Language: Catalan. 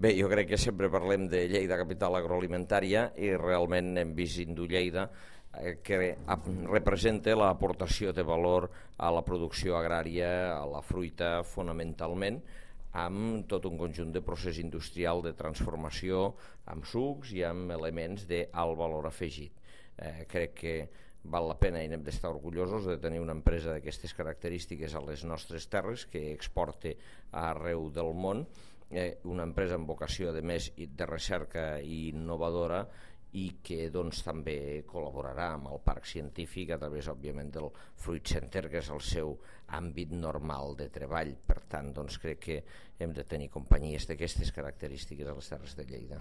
Bé, jo crec que sempre parlem de Lleida, capital agroalimentària, i realment hem vist Indu-Lleida que representa l'aportació de valor a la producció agrària, a la fruita fonamentalment, amb tot un conjunt de procés industrial de transformació, amb sucs i amb elements d'alt valor afegit. Crec que val la pena i n'hem d'estar orgullosos de tenir una empresa d'aquestes característiques a les nostres terres, que exporta arreu del món, una empresa amb vocació de més de recerca i innovadora, i que doncs, també col·laborarà amb el parc científic a través, òbviament, del Fruit Center, que és el seu àmbit normal de treball. Per tant, doncs, crec que hem de tenir companyies d'aquestes característiques a les Terres de Lleida.